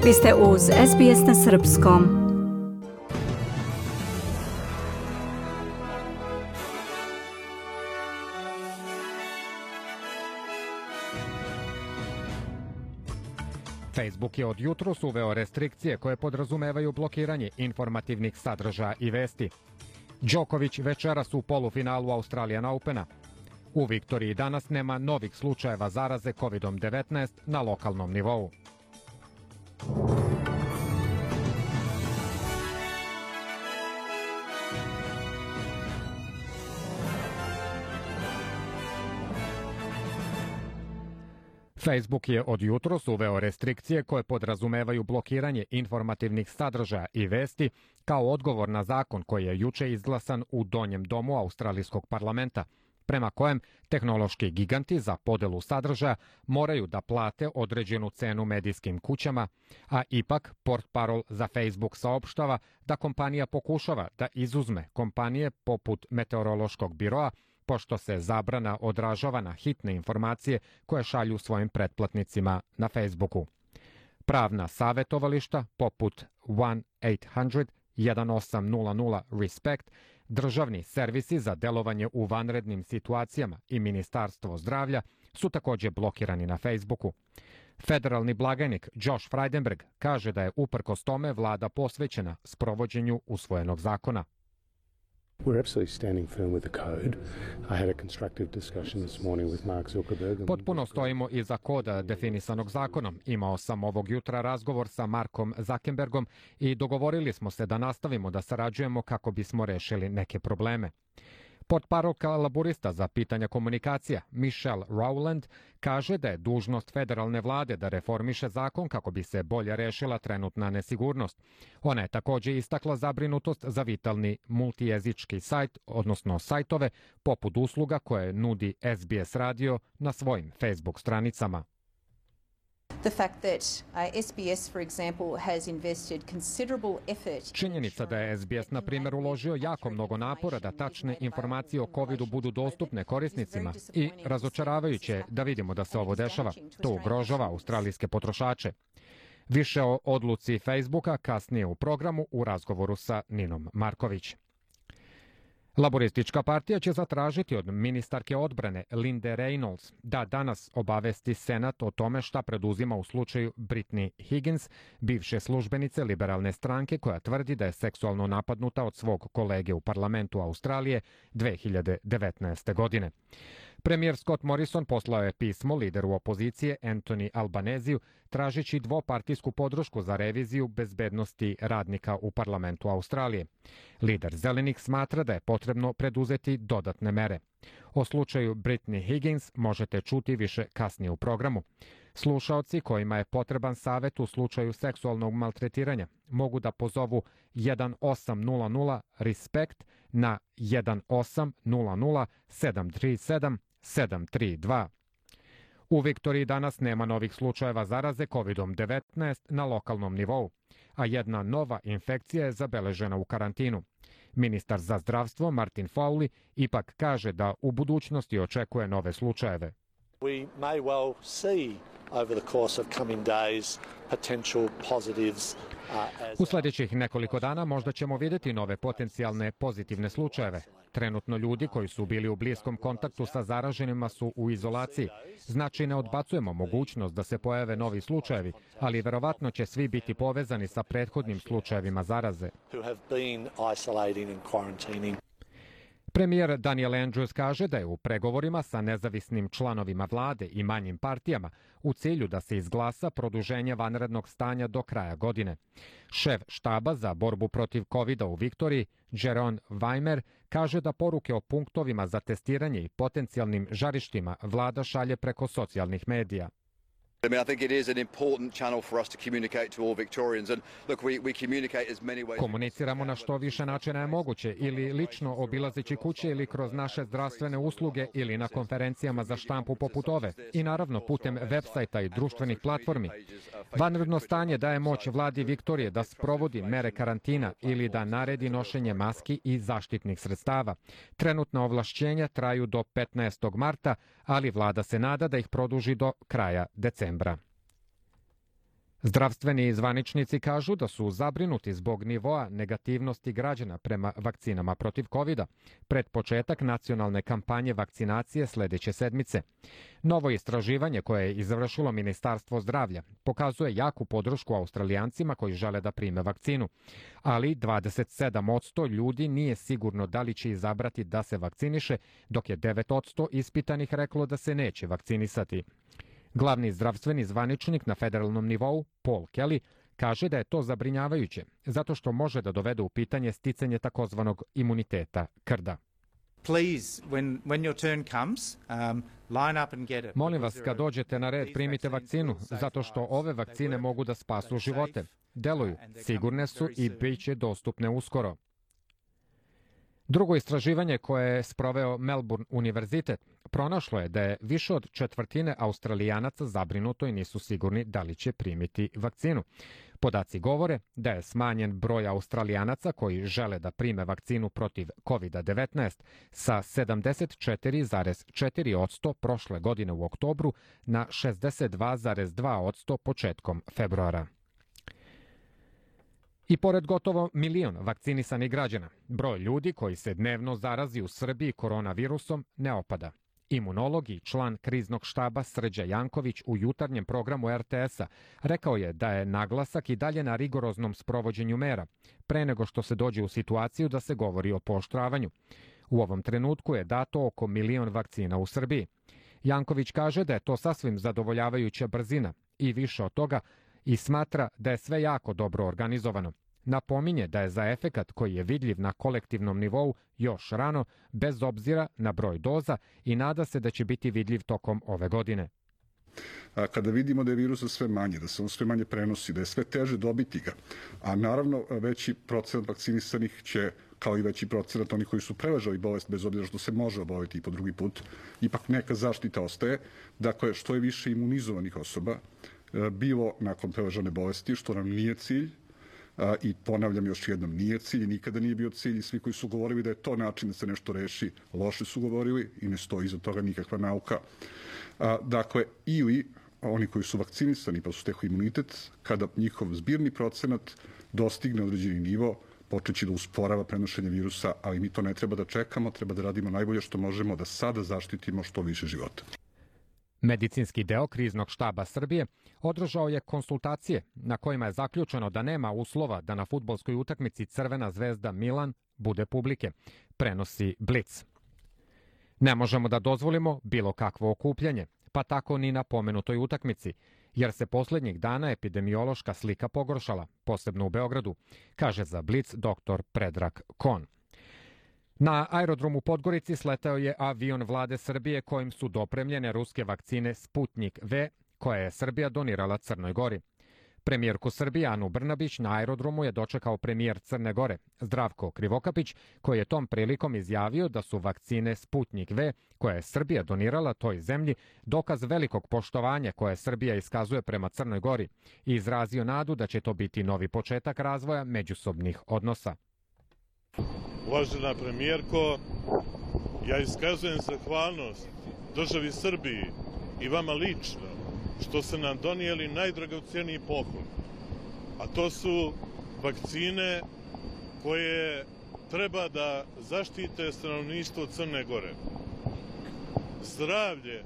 Vi ste uz SBS na srpskom. Facebook je od jutros uveo restrikcije koje podrazumevaju blokiranje informativnih sadržaja i vesti. Djokovic večeras u polufinalu Australian Opena. U Viktoriji danas nema novih slučajeva zaraze COVID-19 na lokalnom nivou. Facebook je od jutros uveo restrikcije koje podrazumevaju blokiranje informativnih sadržaja i vesti kao odgovor na zakon koji je juče izglasan u donjem domu Australijskog parlamenta, prema kojem tehnološki giganti za podelu sadržaja moraju da plate određenu cenu medijskim kućama, a ipak portparol za Facebook saopštava da kompanija pokušava da izuzme kompanije poput Meteorološkog biroa, pošto se zabrana odražava na hitne informacije koje šalju svojim pretplatnicima na Facebooku. Pravna savjetovališta poput 1-800-1800-RESPECT, državni servisi za delovanje u vanrednim situacijama i Ministarstvo zdravlja su također blokirani na Facebooku. Federalni blagajnik Josh Frydenberg kaže da je uprkos tome vlada posvećena sprovođenju usvojenog zakona. We're absolutely standing firm with the code. I had a constructive discussion this morning with Mark Zuckerberg. Potpuno stojimo iza koda definisanog zakonom. Imao sam ovog jutra razgovor sa Markom Zuckerbergom i dogovorili smo se da nastavimo da sarađujemo kako bismo rešili neke probleme. Portparolka laborista za pitanja komunikacija Michelle Rowland kaže da je dužnost federalne vlade da reformiše zakon kako bi se bolje rešila trenutna nesigurnost. Ona je također istakla zabrinutost za vitalni multijezički sajt, odnosno sajtove, poput usluga koje nudi SBS radio na svojim Facebook stranicama. Činjenica da je SBS, na primjer, uložio jako mnogo napora da tačne informacije o COVID-u budu dostupne korisnicima i razočaravajuće je da vidimo da se ovo dešava. To ugrožava australijske potrošače. Više o odluci Facebooka kasnije u programu u razgovoru sa Ninom Marković. Laboristička partija će zatražiti od ministarke odbrane Linde Reynolds da danas obavesti Senat o tome šta preduzima u slučaju Britney Higgins, bivše službenice liberalne stranke koja tvrdi da je seksualno napadnuta od svog kolege u parlamentu Australije 2019. godine. Premijer Scott Morrison poslao je pismo lideru opozicije Anthony Albaneziju tražići dvopartijsku podršku za reviziju bezbednosti radnika u parlamentu Australije. Lider Zelenih smatra da je potrebno preduzeti dodatne mere. O slučaju Britney Higgins možete čuti više kasnije u programu. Slušaoci kojima je potreban savjet u slučaju seksualnog maltretiranja mogu da pozovu 1800 RESPECT na 1800 737 732. U Viktoriji danas nema novih slučajeva zaraze COVID-19 na lokalnom nivou, a jedna nova infekcija je zabeležena u karantinu. Ministar za zdravstvo Martin Fowley ipak kaže da u budućnosti očekuje nove slučajeve. We may well see over the course of coming days potential positives. U sljedećih nekoliko dana možda ćemo vidjeti nove potencijalne pozitivne slučajeve. Trenutno ljudi koji su bili u bliskom kontaktu sa zaraženima su u izolaciji. Znači ne odbacujemo mogućnost da se pojave novi slučajevi, ali verovatno će svi biti povezani sa prethodnim slučajevima zaraze. Premijer Daniel Andrews kaže da je u pregovorima sa nezavisnim članovima vlade i manjim partijama u cilju da se izglasa produženje vanrednog stanja do kraja godine. Šef štaba za borbu protiv COVID-a u Viktoriji, Jeroen Weimer, kaže da poruke o punktovima za testiranje i potencijalnim žarištima vlada šalje preko socijalnih medija. I mean, I think it is an important channel for us to communicate to all Victorians, and look, we communicate as many ways. Komuniciramo na što više načina je moguće, ili lično obilazeći kuće, ili kroz naše zdravstvene usluge, ili na konferencijama za štampu poput ove, i naravno putem websajta i društvenih platformi. Vanredno stanje daje moć vladi Viktorije da sprovodi mere karantina ili da naredi nošenje maski i zaštitnih sredstava. Trenutna ovlašćenja traju do 15. marta, ali vlada se nada da ih produži do kraja decembra. Zdravstveni zvaničnici kažu da su zabrinuti zbog nivoa negativnosti građana prema vakcinama protiv COVID-a pred početak nacionalne kampanje vakcinacije sledeće sedmice. Novo istraživanje koje je izvršilo Ministarstvo zdravlja pokazuje jaku podršku Australijancima koji žele da prime vakcinu, ali 27% ljudi nije sigurno da li će izabrati da se vakciniše, dok je 9% ispitanih reklo da se neće vakcinisati. Glavni zdravstveni zvaničnik na federalnom nivou, Paul Kelly, kaže da je to zabrinjavajuće, zato što može da dovede u pitanje sticanje takozvanog imuniteta krda. Molim vas, kad dođete na red, primite vakcinu, zato što ove vakcine mogu da spasu živote. Deluju, sigurne su i bit će dostupne uskoro. Drugo istraživanje koje je sproveo Melbourne univerzitet pronašlo je da je više od četvrtine Australijanaca zabrinuto i nisu sigurni da li će primiti vakcinu. Podaci govore da je smanjen broj Australijanaca koji žele da prime vakcinu protiv COVID-19 sa 74,4% prošle godine u oktobru na 62,2% početkom februara. I pored gotovo 1 milion vakcinisanih građana, broj ljudi koji se dnevno zarazi u Srbiji koronavirusom ne opada. Imunolog i član kriznog štaba Srđa Janković u jutarnjem programu RTS-a rekao je da je naglasak i dalje na rigoroznom sprovođenju mera, pre nego što se dođe u situaciju da se govori o pooštravanju. U ovom trenutku je dato oko 1 milion vakcina u Srbiji. Janković kaže da je to sasvim zadovoljavajuća brzina i više od toga i smatra da je sve jako dobro organizovano. Napominje da je za efekat koji je vidljiv na kolektivnom nivou još rano, bez obzira na broj doza i nada se da će biti vidljiv tokom ove godine. Kada vidimo da je virusa sve manje, da se on sve manje prenosi, da je sve teže dobiti ga, a naravno veći procenat vakcinisanih će, kao i veći procenat onih koji su prevažali bolest, bez obzira što se može obaviti i po drugi put, ipak neka zaštita ostaje. Dakle, što je više imunizovanih osoba, bilo nakon prevažane bolesti, što nam nije cilj, i ponavljam još jednom, nije cilj i nikada nije bio cilj i svi koji su govorili da je to način da se nešto reši, loše su govorili i ne stoji iza toga nikakva nauka. Dakle, ili oni koji su vakcinisani pa su stekli imunitet, kada njihov zbirni procenat dostigne određeni nivo, počeće da usporava prenošenje virusa, ali mi to ne treba da čekamo, treba da radimo najbolje što možemo da sada zaštitimo što više života. Medicinski deo kriznog štaba Srbije održao je konsultacije na kojima je zaključeno da nema uslova da na fudbalskoj utakmici Crvena zvezda Milan bude publike, prenosi Blic. Ne možemo da dozvolimo bilo kakvo okupljanje, pa tako ni na pomenutoj utakmici, jer se poslednjih dana epidemiološka slika pogoršala, posebno u Beogradu, kaže za Blic dr. Predrag Kon. Na aerodromu Podgorici sletao je avion vlade Srbije kojim su dopremljene ruske vakcine Sputnik V, koje je Srbija donirala Crnoj Gori. Premijerku Srbije Anu Brnabić na aerodromu je dočekao premijer Crne Gore, Zdravko Krivokapić, koji je tom prilikom izjavio da su vakcine Sputnik V, koje je Srbija donirala toj zemlji, dokaz velikog poštovanja koje Srbija iskazuje prema Crnoj Gori i izrazio nadu da će to biti novi početak razvoja međusobnih odnosa. Uvažena premijerko, ja iskazujem zahvalnost državi Srbiji i vama lično što ste nam donijeli najdragoceniji poklon, a to su vakcine koje treba da zaštite stanovništvo Crne Gore. Zdravlje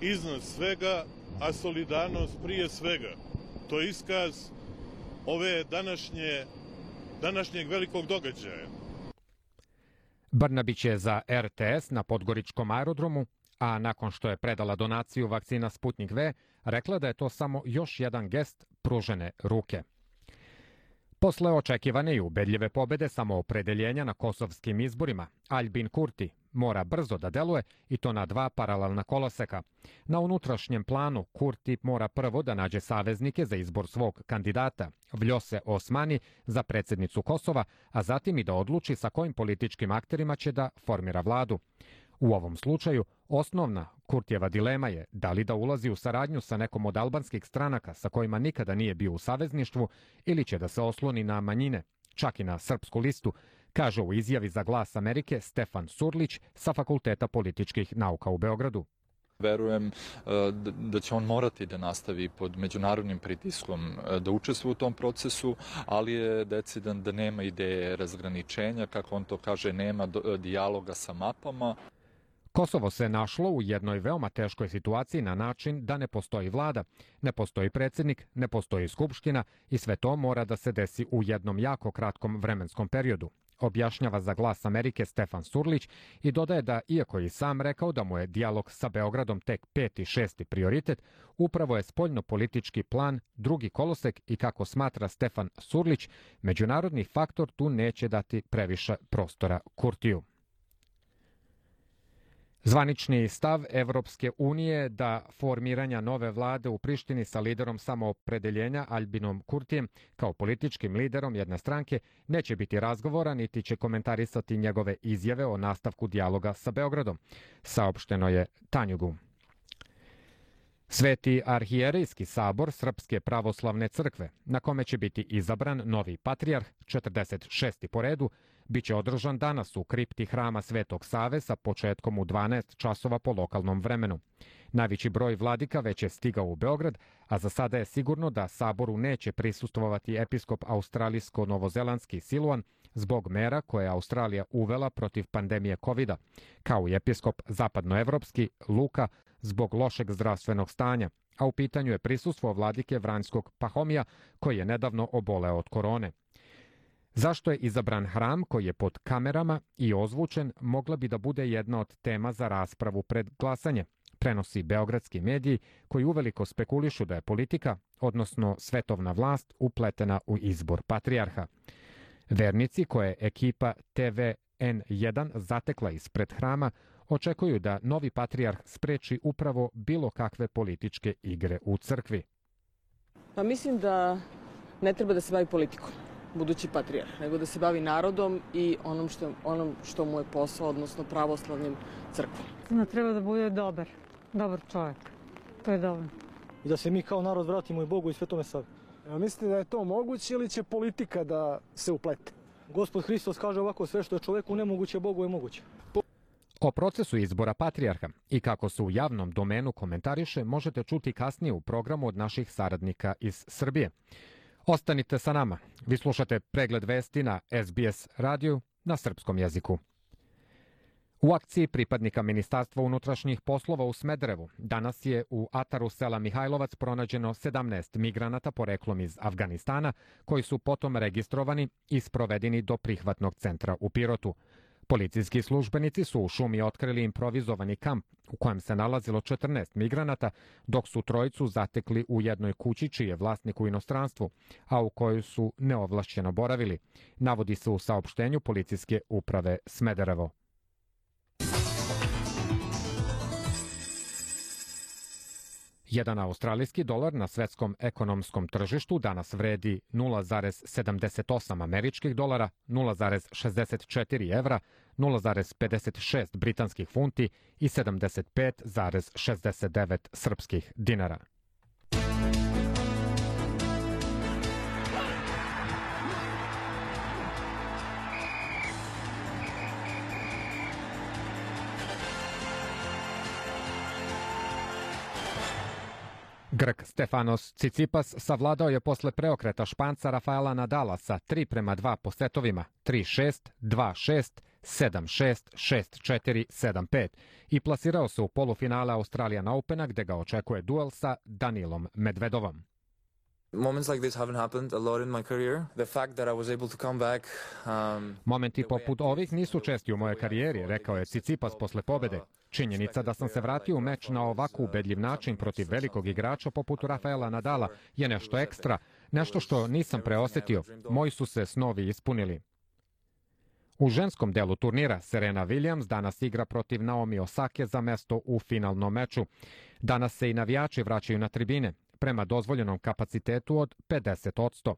iznad svega, a solidarnost prije svega. To je iskaz ove današnjeg velikog događaja. Brnabić je za RTS na Podgoričkom aerodromu, a nakon što je predala donaciju vakcina Sputnik V, rekla da je to samo još jedan gest pružene ruke. Posle očekivane i ubedljive pobede samoopredeljenja na kosovskim izborima, Aljbin Kurti mora brzo da deluje i to na 2 paralelna koloseka. Na unutrašnjem planu Kurti mora prvo da nađe saveznike za izbor svog kandidata, Vljose Osmani, za predsjednicu Kosova, a zatim i da odluči sa kojim političkim akterima će da formira vladu. U ovom slučaju, osnovna Kurtijeva dilema je da li da ulazi u saradnju sa nekom od albanskih stranaka sa kojima nikada nije bio u savezništvu ili će da se osloni na manjine, čak i na srpsku listu, kaže u izjavi za Glas Amerike Stefan Surlić sa Fakulteta političkih nauka u Beogradu. Verujem da će on morati da nastavi pod međunarodnim pritiskom da učestvuje u tom procesu, ali je decidan da nema ideje razgraničenja, kako on to kaže, nema dijaloga sa mapama. Kosovo se našlo u jednoj veoma teškoj situaciji na način da ne postoji vlada, ne postoji predsjednik, ne postoji skupština i sve to mora da se desi u jednom jako kratkom vremenskom periodu, objašnjava za Glas Amerike Stefan Surlić i dodaje da, iako je i sam rekao da mu je dijalog sa Beogradom tek 5. i 6. prioritet, upravo je spoljno-politički plan drugi kolosek i, kako smatra Stefan Surlić, međunarodni faktor tu neće dati previše prostora Kurtiju. Zvanični stav Evropske unije da formiranja nove vlade u Prištini sa liderom samoopredeljenja Albinom Kurtijem kao političkim liderom jedne stranke neće biti razgovora niti će komentarisati njegove izjave o nastavku dijaloga sa Beogradom, saopšteno je Tanjugu. Sveti arhijerejski sabor Srpske pravoslavne crkve, na kome će biti izabran novi patrijarh, 46. po redu, biće održan danas u kripti hrama Svetog Save sa početkom u 12 časova po lokalnom vremenu. Najveći broj vladika već je stigao u Beograd, a za sada je sigurno da saboru neće prisustvovati episkop australijsko-novozelandski Siluan zbog mera koje je Australija uvela protiv pandemije COVID-a, kao i episkop zapadnoevropski Luka zbog lošeg zdravstvenog stanja, a u pitanju je prisustvo vladike Vranjskog Pahomija koji je nedavno oboleo od korone. Zašto je izabran hram koji je pod kamerama i ozvučen, mogla bi da bude jedna od tema za raspravu pred glasanje, prenosi beogradski mediji koji uveliko spekulišu da je politika, odnosno svetovna vlast, upletena u izbor patrijarha. Vernici koje je ekipa TV N1 zatekla ispred hrama očekuju da novi patrijarh spreči upravo bilo kakve političke igre u crkvi. Pa mislim da ne treba da se bavi politikom budući patrijarh, nego da se bavi narodom i onom što mu je posao, odnosno pravoslavnim crkvom. Treba da bude dobar čovjek. To je dovoljno. I da se mi kao narod vratimo i Bogu i Svetome Savi. Mislite da je to moguće ili će politika da se uplete? Gospod Hristos kaže ovako: sve što je čoveku nemoguće, Bogu je moguće. O procesu izbora patrijarha i kako se u javnom domenu komentariše možete čuti kasnije u programu od naših saradnika iz Srbije. Ostanite sa nama. Vi slušate pregled vesti na SBS radiju na srpskom jeziku. U akciji pripadnika Ministarstva unutrašnjih poslova u Smederevu danas je u ataru sela Mihajlovac pronađeno 17 migranata poreklom iz Afganistana koji su potom registrovani i sprovedeni do prihvatnog centra u Pirotu. Policijski službenici su u šumi otkrili improvizovani kamp u kojem se nalazilo 14 migranata, dok su trojicu zatekli u jednoj kući čiji je vlasnik u inostranstvu, a u kojoj su neovlašćeno boravili, navodi se u saopštenju policijske uprave Smederevo. Jedan australijski dolar na svetskom ekonomskom tržištu danas vredi 0,78 američkih dolara, 0,64 evra, 0,56 britanskih funti i 75,69 srpskih dinara. Grk Stefanos Tsitsipas savladao je posle preokreta Španca Rafaela Nadala sa 3:2 po setovima 3-6, 2-6, 7-6, 6-4, 7-5 i plasirao se u polufinale Australian Opena gde ga očekuje duel sa Danilom Medvedovom. Moments like this haven't happened a lot in my career. The fact that I was able to come back. Momenti poput ovih nisu česti u mojoj karijeri, rekao je Tsitsipas posle pobede. Činjenica da sam se vratio u meč na ovako ubedljiv način protiv velikog igrača poput Rafaela Nadala je nešto ekstra, nešto što nisam preosetio. Moji su se snovi ispunili. U ženskom delu turnira Serena Williams danas igra protiv Naomi Osake za mesto u finalnom meču. Danas se i navijači vraćaju na tribine, prema dozvoljenom kapacitetu od 50%.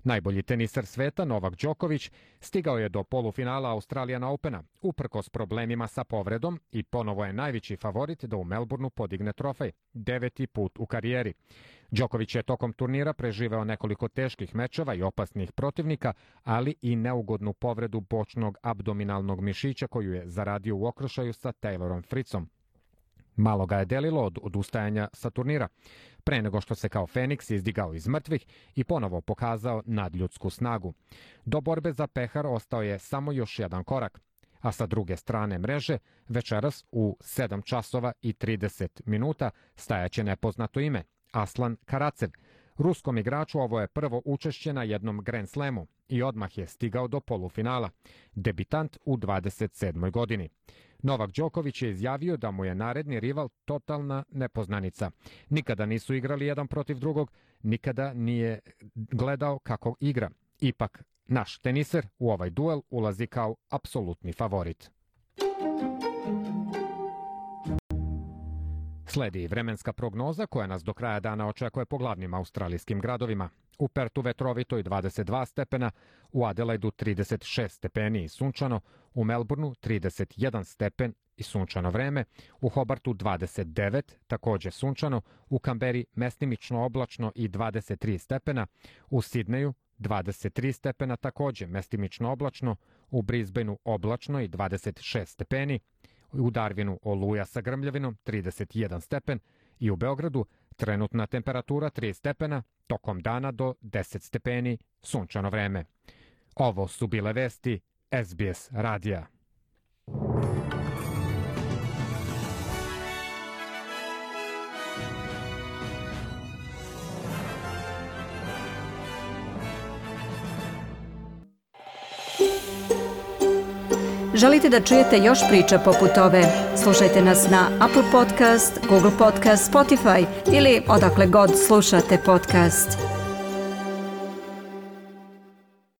Najbolji teniser sveta, Novak Đoković, stigao je do polufinala Australian Opena, uprkos problemima sa povredom i ponovo je najveći favorit da u Melbourneu podigne trofej, 9. put u karijeri. Đoković je tokom turnira preživeo nekoliko teških mečeva i opasnih protivnika, ali i neugodnu povredu bočnog abdominalnog mišića koju je zaradio u okršaju sa Taylorom Fritzom. Malo ga je delilo od odustajanja sa turnira, pre nego što se kao Feniks izdigao iz mrtvih i ponovo pokazao nadljudsku snagu. Do borbe za pehar ostao je samo još jedan korak, a sa druge strane mreže večeras u 7 časova i 30 minuta stajaće nepoznato ime, Aslan Karacev. Ruskom igraču ovo je prvo učešće na jednom Grand Slamu i odmah je stigao do polufinala. Debitant u 27. godini. Novak Đoković je izjavio da mu je naredni rival totalna nepoznanica. Nikada nisu igrali jedan protiv drugog, nikada nije gledao kako igra. Ipak, naš teniser u ovaj duel ulazi kao apsolutni favorit. Sledi vremenska prognoza koja nas do kraja dana očekuje po glavnim australijskim gradovima. U Pertu vetrovito i 22 stepena, u Adelaidu 36 stepeni i sunčano, u Melbourneu 31 stepen i sunčano vreme, u Hobartu 29, takođe sunčano, u Kamberi mestimično oblačno i 23 stepena, u Sidneju 23 stepena, takođe mestimično oblačno, u Brisbaneu oblačno i 26 stepeni, u Darwinu oluja sa grmljavinom 31 stepen i u Beogradu trenutna temperatura 3 stepena, tokom dana do 10 stepeni, sunčano vreme. Ovo su bile vesti SBS radija. Želite da čujete još priča poput ove? Slušajte nas na Apple Podcast, Google Podcast, Spotify ili odakle god slušate podcast.